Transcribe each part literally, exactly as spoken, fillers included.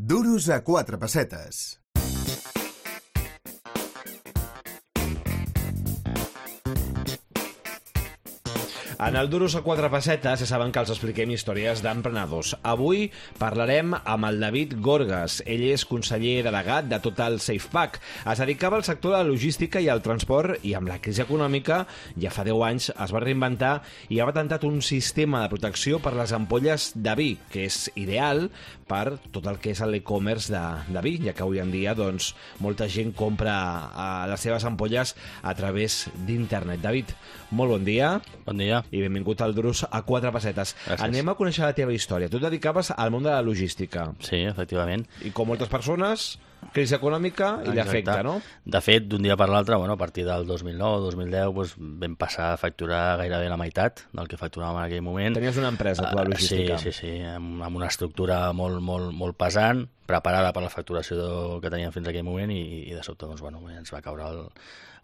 Duros a quatre pessetes. En el Duros a quatre pessetes ja saben que els expliquem històries d'emprenedors. Avui parlarem amb el David Gorgas. Ell és conseller delegat de Total SafePack. Es dedicava al sector de la logística i al transport i amb la crisi econòmica ja fa deu anys es va reinventar i ha patentat un sistema de protecció per les ampolles de vi, que és ideal per tot el que és l'e-commerce de, de vi, ja que avui en dia doncs, molta gent compra uh, les seves ampolles a través d'internet. David, molt bon dia. Bon dia. I benvingut al Duros a quatre pessetes. Gràcies. Anem a conèixer la teva història. Tu et dedicaves al món de la logística. Sí, efectivament. I com moltes persones, crisi econòmica i l'efecte, no? De fet, d'un dia per l'altre, bueno, a partir del dos mil nou o dos mil deu, doncs, vam passar a facturar gairebé la meitat del que facturàvem en aquell moment. Tenies una empresa, tu, de logística. Uh, sí, sí, sí, amb, amb una estructura molt, molt, molt pesant, preparada per la facturació que teníem fins a aquell moment i, i de sobte doncs, bueno, ens va caure el,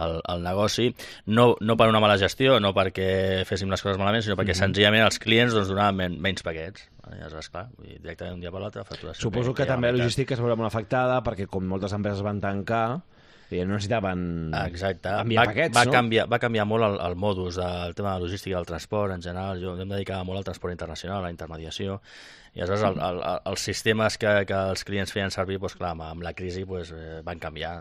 el, el negoci. No, no per una mala gestió, no perquè féssim les coses malament, sinó perquè mm-hmm. senzillament els clients doncs, donaven men, menys paquets. Llavors, clar, directament un dia per l'altre, facturació. Suposo que, que també la logística es veurà molt afectada perquè com moltes empreses van tancar i no necessitaven Exacte. enviar va, paquets, va no? Canviar, va canviar molt el, el modus del tema de la logística i del transport en general. Jo em dedicava molt al transport internacional, a la intermediació, i aleshores el, el, el, els sistemes que, que els clients feien servir, doncs, clar, amb la crisi doncs, van canviar.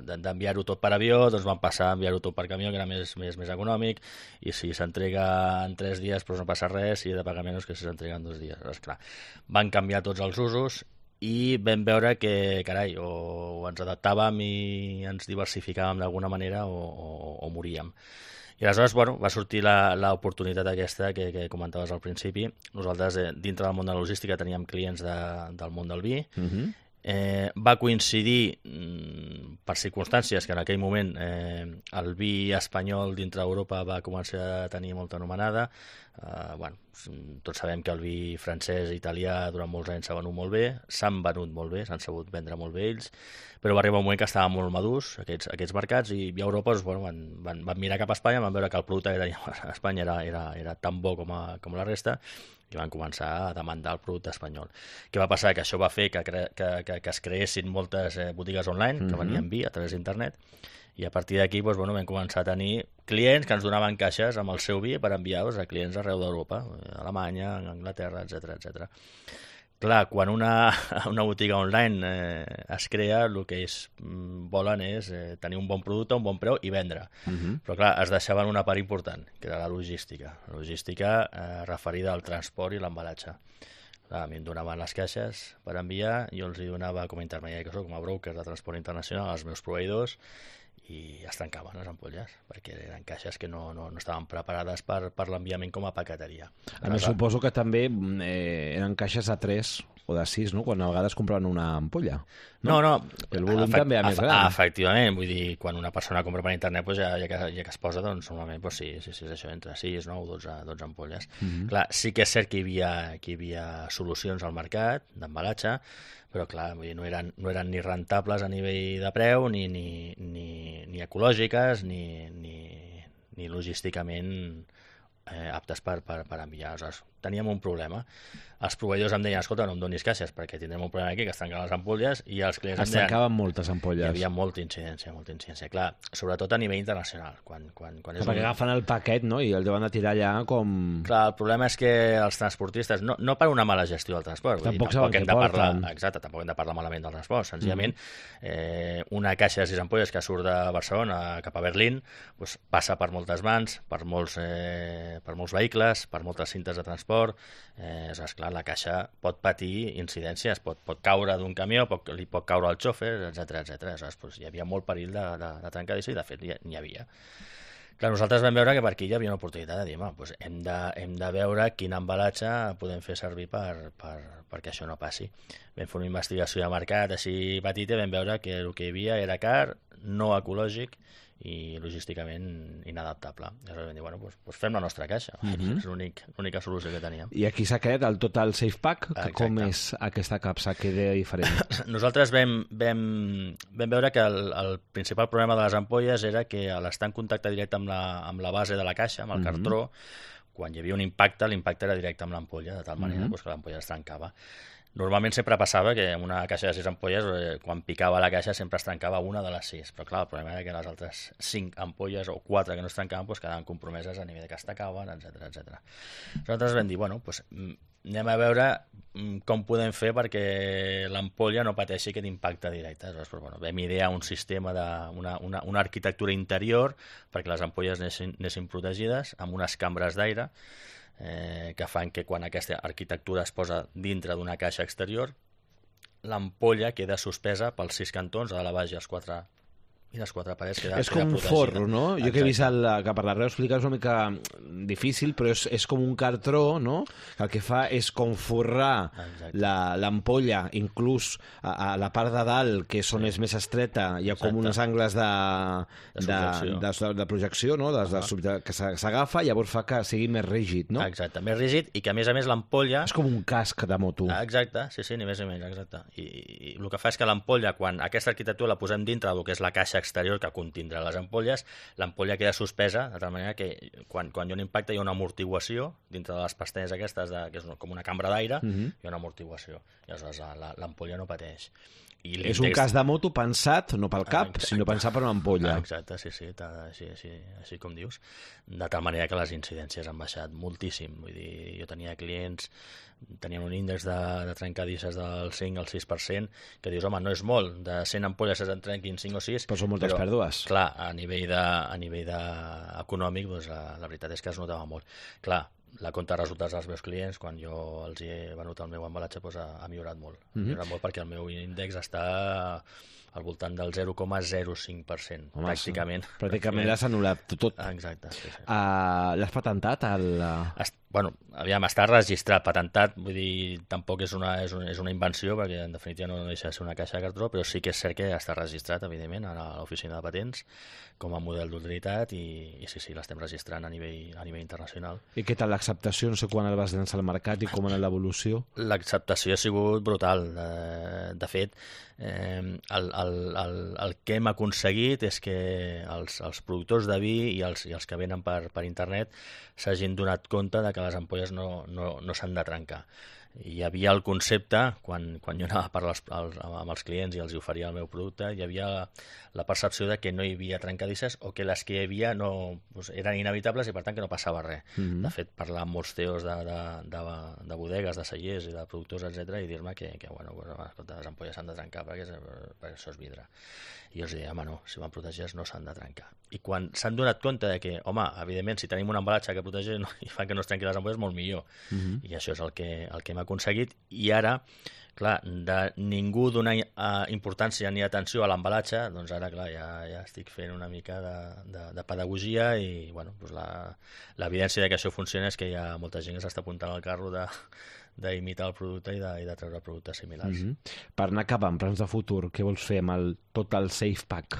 D'enviar-ho tot per avió, doncs van passar a enviar-ho tot per camió, que era més, més, més econòmic, i si s'entrega en tres dies doncs no passa res, si he de pagar menys que si s'entrega en dos dies. Aleshores, clar, van canviar tots els usos i vam veure que, carai, o, o ens adaptàvem i ens diversificàvem d'alguna manera o, o, o moríem. I aleshores, bueno, va sortir l'oportunitat aquesta que, que comentaves al principi. Nosaltres, eh, dintre del món de la logística, teníem clients de, del món del vi. Uh-huh. Eh, va coincidir, mm, per circumstàncies, que en aquell moment eh, el vi espanyol dintre d'Europa va començar a tenir molta anomenada. Eh, bueno, tots sabem que el vi francès i italià durant molts anys s'ha venut molt bé, s'han venut molt bé, s'han sabut vendre molt bé ells, però va arribar un moment que estaven molt madurs aquests, aquests mercats i a Europa doncs, bueno, van, van, van mirar cap a Espanya, van veure que el producte que teníem a Espanya era, era, era tan bo com, a, com la resta i van començar a demandar el producte espanyol. Què va passar? Que això va fer que, cre que, que, que es creessin moltes eh, botigues online que venien vi a través d'internet i a partir d'aquí doncs, bueno, vam començar a tenir clients que ens donaven caixes amb el seu vi per enviar a clients arreu d'Europa, a Alemanya, a Anglaterra, etcètera, etcètera. Clar, quan una, una botiga online eh, es crea, el que és, volen és eh, tenir un bon producte, un bon preu i vendre. Uh-huh. Però clar, es deixaven una part important, que era la logística. La logística eh, referida al transport i l'embalatge. A mi em donaven les caixes per enviar, jo els hi donava com a intermediari que soc, com a broker de transport internacional als meus proveïdors i es trencaven les ampolles perquè eren caixes que no, no, no estaven preparades per, per l'enviament com a paqueteria. A més, suposo que també eh, eren caixes de tres o de sis, no? Quan a vegades compraven una ampolla. No, no. no. El volum també era més gran. Efectivament, vull dir, quan una persona compra per internet, doncs ja, ja, que, ja que es posa, doncs normalment doncs sí, sí, sí, és això, entre sis, nou, dotze, dotze ampolles. Mm-hmm. Clar, sí que és cert que hi havia, que hi havia solucions al mercat d'embalatge, però clar, vull dir, no, eren, no eren ni rentables a nivell de preu, ni, ni, ni, ni ecològiques, ni, ni, ni logísticament eh, aptes per, per, per enviar. Aleshores, teníem un problema. Els proveïdors em deien, escolta, no em donis caixes perquè tindrem un problema aquí, que es tanquen les ampolles, i els clients es em deien... Es tancaven moltes ampolles. Hi havia molta incidència, molta incidència. Clar, sobretot a nivell internacional. Quan, quan, quan és perquè un... agafen el paquet, no?, i el deuen de tirar allà com... Clar, el problema és que els transportistes, no, no per una mala gestió del transport, tampoc, dir, tampoc hem de parlar, porten. exacte, tampoc hem de parlar malament del transport, senzillament mm. eh, una caixa de sis ampolles que surt de Barcelona cap a Berlín doncs, passa per moltes mans, per molts, eh, per molts vehicles, per moltes cintes de transport, eh, és clar, la caixa pot patir incidències, pot, pot caure d'un camió, pot, li pot caure al xòfer, etcètera, etcètera. Doncs, hi havia molt perill de, de, de trencadissa i de fet n'hi havia. Clar, nosaltres vam veure que per aquí hi havia una oportunitat de dir, doncs hem de, hem de veure quin embalatge podem fer servir per, per, perquè això no passi. Vam fer una investigació de mercat així petita i vam veure que el que hi havia era car, no ecològic i logísticament inadaptable. Llavors vam dir, bueno, doncs, doncs fem la nostra caixa. Mm-hmm. És l'única solució que teníem. I aquí s'ha creat el Total SafePack, que exacte. Com és aquesta capsa, que de diferent? Nosaltres vam, vam, vam veure que el, el principal problema de les ampolles era que a l'estar en contacte directe amb la, amb la base de la caixa, amb el mm-hmm. cartró, quan hi havia un impacte, l'impacte era directe amb l'ampolla, de tal manera mm-hmm. doncs, que l'ampolla es trencava. Normalment sempre passava que en una caixa de sis ampolles, eh, quan picava la caixa sempre es trencava una de les sis, però clar, el problema era que les altres cinc ampolles o quatre que no es trencaven doncs quedaven compromeses a nivell de que es tacaven, etcètera, etcètera. Nosaltres vam dir, bueno, doncs anem a veure com podem fer perquè l'ampolla no pateixi aquest impacte directe. Aleshores, doncs, bueno, vam idear un sistema, de, una, una, una arquitectura interior perquè les ampolles anessin, anessin protegides amb unes cambres d'aire Eh, que fan que quan aquesta arquitectura es posa dintre d'una caixa exterior, l'ampolla queda suspesa pels sis cantons, a la baix i els quatre i les quatre parets queda, és queda com un protegida. forro, no? Jo Exacte. Que he vist el, que per l'arreu explicar és una mica difícil, però és, és com un cartró, no? Que el que fa és com forrar l'ampolla, inclús a, a la part de dalt, que és on és més estreta, hi ha com Exacte. Uns angles de, de, de, de, de projecció, no? De, de, de, que s'agafa, llavors fa que sigui més rígid, no? Exacte, més rígid, i que a més a més l'ampolla... És com un casc de moto. Exacte, sí, sí, ni més ni menys, exacte. I, i el que fa és que l'ampolla, quan aquesta arquitectura la posem dintre del que és la caixa exterior que contindrà les ampolles, l'ampolla queda suspesa, de tal manera que quan, quan hi ha un impacte hi ha una amortiguació dintre de les pestanyes aquestes, de, que és com una cambra d'aire, uh-huh. hi ha una amortiguació. I aleshores l'ampolla no pateix. I és un cas de moto pensat, no pel cap, exacte. Sinó pensat per una ampolla. Exacte, sí, sí, així, així, així com dius. De tal manera que les incidències han baixat moltíssim. Vull dir, jo tenia clients, tenien un índex de, de trencadisses del cinc al sis per cent, que dius, home, no és molt, de cent ampolles se'n trenquin cinc o sis... Però són moltes però, pèrdues. Clar, a nivell, de, a nivell de, econòmic, doncs, la, la veritat és que es notava molt. Clar, la compte de resultats dels meus clients, quan jo els he venut el meu embalatge, doncs, ha, ha millorat molt. Mm-hmm. Ha millorat molt perquè el meu índex està al voltant del zero coma zero cinc per cent, Home, pràcticament. Pràcticament l'has anul·lat tot. Exacte. Sí, sí. Uh, L'has patentat? El... Est bueno, aviam, està registrat, patentat, vull dir, tampoc és una, és una, és una invenció, perquè en definitiva no deixa de ser una caixa de cartró, però sí que és cert que està registrat, evidentment, a l'oficina de patents, com a model d'utilitat, i, i sí, sí, l'estem registrant a nivell, a nivell internacional. I què tal l'acceptació? No sé quan el vas llançar al mercat i com en l'evolució? L'acceptació ha sigut brutal. De, de fet, eh, el, el, el, el que hem aconseguit és que els, els productors de vi i els, i els que venen per, per internet s'hagin donat compte de que les ampolles no, no, no s'han de trencar. Hi havia el concepte, quan, quan jo anava a parlar als, amb els clients i els oferia el meu producte, hi havia la, la percepció de que no hi havia trencadisses o que les que hi havia no, doncs, eren inevitables i per tant que no passava res. Mm-hmm. De fet, parlar amb molts teos de, de, de, de bodegues, de cellers i de productors, etcètera, i dir-me que, que bueno, pues, escolta, les ampolles s'han de trencar perquè, perquè això és vidre. I jo els deia, home, no, si van protegits no s'han de trencar. I quan s'han donat compte de que, home, evidentment, si tenim un embalatge que protegeix no, i fa que no es trenqui les ampolles, molt millor. Mm-hmm. I això és el que, el que hem aconseguit. I ara, clar, de ningú donar uh, importància ni atenció a l'embalatge, doncs ara, clar, ja, ja estic fent una mica de, de, de pedagogia i, bueno, doncs l'evidència de que això funciona és que hi ha molta gent que s'està apuntant al carro de d'imitar el producte i de, i de treure productes similars. Mm-hmm. Per anar acabant, plans de futur, què vols fer amb el Total Safe Pack?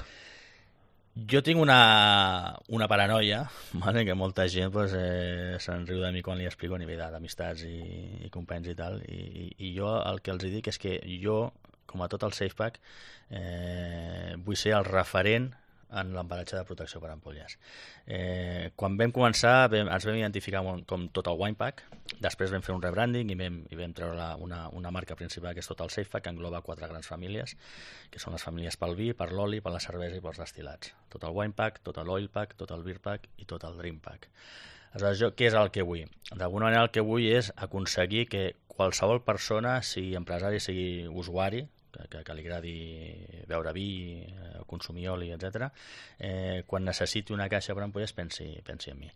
Jo tinc una, una paranoia, vale? Que molta gent pues, eh, se'n riu de mi quan li explico a nivell d'amistats i, i companys i tal, i, i, i jo el que els dic és que jo, com a Total Safe Pack, eh, vull ser el referent en l'embalatge de protecció per ampolles. Eh, quan vam començar vam, ens vam identificar com Total Wine Pack, després vam fer un rebranding i vam, i vam treure la, una, una marca principal que és Total Safe Pack, que engloba quatre grans famílies, que són les famílies pel vi, per l'oli, per la cervesa i pels destil·lats. Total Wine Pack, Total Oil Pack, Total Beer Pack i Total Drink Pack. Aleshores, jo, què és el que vull? D'alguna manera el que vull és aconseguir que qualsevol persona, sigui empresari, sigui usuari, que, que, que li agradi beure vi, eh, consumir oli, etcètera, eh, quan necessiti una caixa per ampolles pensi, pensi en mi.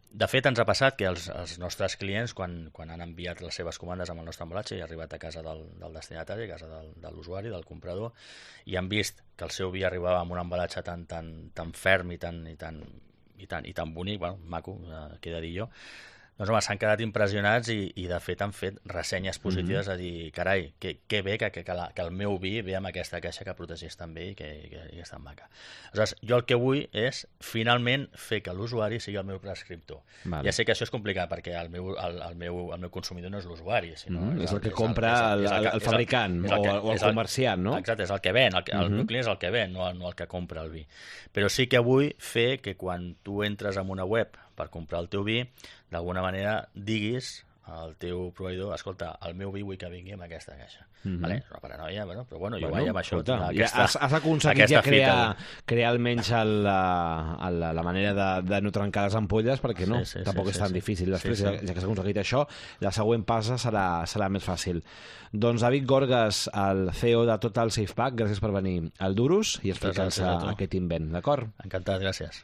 De fet, ens ha passat que els, els nostres clients, quan, quan han enviat les seves comandes amb el nostre embalatge i ha arribat a casa del, del destinatari, a casa del, de l'usuari, del comprador, i han vist que el seu vi arribava amb un embalatge tan, tan, tan ferm i tan, i tan, i tan, i tan bonic, bueno, maco, eh, què he de dir jo, doncs home, s'han quedat impressionats i, i de fet han fet ressenyes positives, mm-hmm. a dir, carai, que, que bé que, que, que, la, que el meu vi ve amb aquesta caixa que protegeix tan bé i que, que, que és tan maca. Aleshores, jo el que vull és finalment fer que l'usuari sigui el meu prescriptor. Vale. Ja sé que això és complicat perquè el meu, el, el meu, el meu consumidor no és l'usuari, sinó mm-hmm. és el que compra el, el, el, el fabricant el, el, el, o el comerciant, no? Exacte, és el que ven, el, que, mm-hmm. el meu client és el que ven, no el, no el que compra el vi. Però sí que vull fer que quan tu entres en una web per comprar el teu vi, d'alguna manera diguis al teu proveïdor, escolta, el meu vi vull que vingui amb aquesta caixa. Mhm. Vale? És una paranoia, bueno, però bueno, jo Bueno, vaig amb això. escolta, tinc ja aquesta- has, has aconseguit aquesta ja crear, fita. crear almenys el, la, la, la manera de, de no trencar les ampolles, perquè no, Sí, sí, tampoc sí, és sí, tan sí. difícil. Després, Sí, sí. ja, ja que s'ha aconseguit això, la següent passa serà, serà més fàcil. Doncs David Gorgas, el C E O de Total Safe Pack, gràcies per venir al Duros i explicar-nos gràcies a tu. aquest invent, d'acord? Encantat, gràcies.